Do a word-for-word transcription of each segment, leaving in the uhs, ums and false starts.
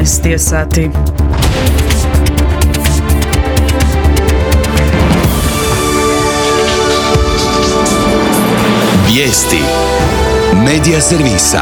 jedanaest je sati. Vijesti Medija servisa.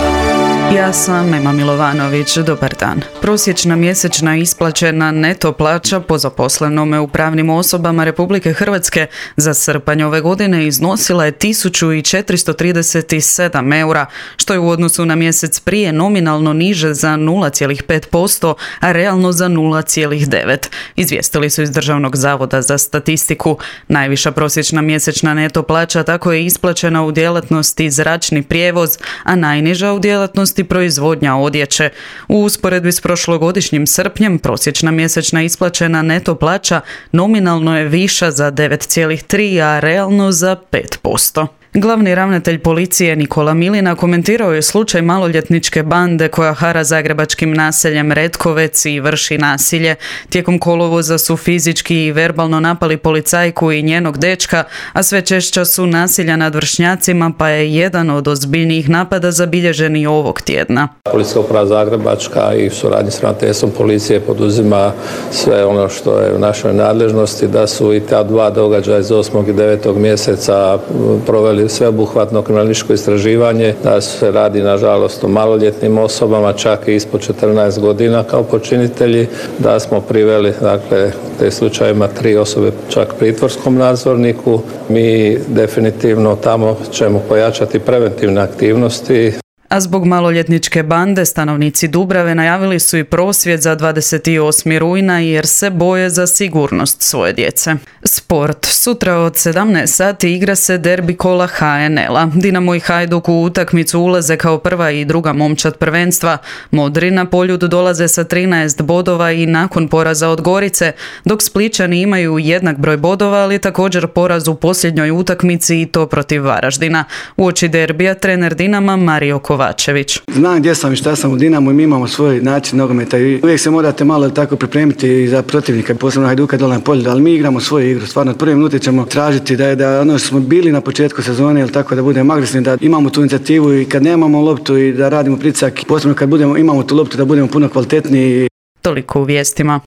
Ja sam Ema Milovanović, dobar dan. Prosječna mjesečna isplaćena neto plaća po zaposlenome u pravnim osobama Republike Hrvatske za srpanj ove godine iznosila je tisuću četiristo trideset sedam eura, što je u odnosu na mjesec prije nominalno niže za nula zarez pet posto, a realno za nula zarez devet. Izvijestili su iz Državnog zavoda za statistiku. Najviša prosječna mjesečna neto plaća tako je isplaćena u djelatnosti zračni prijevoz, a najniža u djelatnosti proizvodnja odjeće. U usporedbi s prošlogodišnjim srpnjem prosječna mjesečna isplaćena neto plaća nominalno je viša za devet zarez tri, a realno za pet posto. Glavni ravnatelj policije Nikola Milina komentirao je slučaj maloljetničke bande koja hara zagrebačkim naseljem Retkovec i vrši nasilje. Tijekom kolovoza su fizički i verbalno napali policajku i njenog dečka, a sve češća su nasilja nad vršnjacima, pa je jedan od ozbiljnijih napada zabilježen i ovog tjedna. Policijska uprava Zagrebačka i u suradnji s ravnateljstvom policije poduzima sve ono što je u našoj nadležnosti, da su i ta dva događaja iz osmog i devetog mjeseca proveli sveobuhvatno kriminalističko istraživanje, da se radi nažalost o maloljetnim osobama, čak i ispod četrnaest godina kao počinitelji, da smo priveli dakle te slučajevima tri osobe čak pritvorskom nadzorniku. Mi definitivno tamo ćemo pojačati preventivne aktivnosti. A zbog maloljetničke bande stanovnici Dubrave najavili su i prosvjed za dvadeset osmog rujna jer se boje za sigurnost svoje djece. Sport. Sutra od sedamnaest sati igra se derbi kola ha en el-a. Dinamo i Hajduk u utakmicu ulaze kao prva i druga momčad prvenstva. Modri na Poljud dolaze sa trinaest bodova i nakon poraza od Gorice, dok Splićani imaju jednak broj bodova, ali također poraz u posljednjoj utakmici i to protiv Varaždina. Uoči derbija trener Dinama Mario Kovačević. Znam gdje sam i šta sam u Dinamu i mi imamo svoj način nogometa i uvijek se morate malo tako pripremiti za protivnika, posebno Hajduka dole na Poljudu, ali mi igramo svoju igru. Stvarno od prve minute ćemo tražiti da je da ono što smo bili na početku sezone, ili tako da budemo agresivni, da imamo tu inicijativu i kad nemamo loptu i da radimo pritisak, posebno kad budemo imamo tu loptu da budemo puno kvalitetniji. Toliko u vijestima.